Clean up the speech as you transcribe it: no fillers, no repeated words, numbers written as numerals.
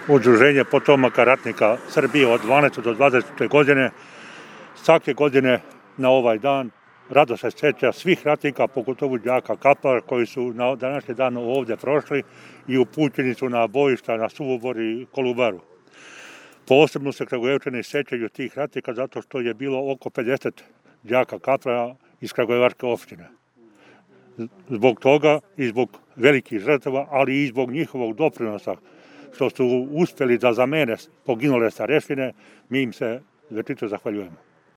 Udruženje potomaka ratnika Srbije od 12. do 20. godine. Svake godine na ovaj dan rado se sjeća svih ratnika, pogotovo đaka Kaplara koji su na današnji dan ovdje prošli i upućeni su na bojišta na Suvobor i Kolubaru. Posebno se Kragujevčani sjećaju tih ratnika zato što je bilo oko 50 đaka Kaplara iz Kragujevačke opštine. Zbog toga i zbog velikih žrtava, ali i zbog njihovog doprinosa što su uspjeli da zamene poginule starešine, mi im se večito zahvaljujemo.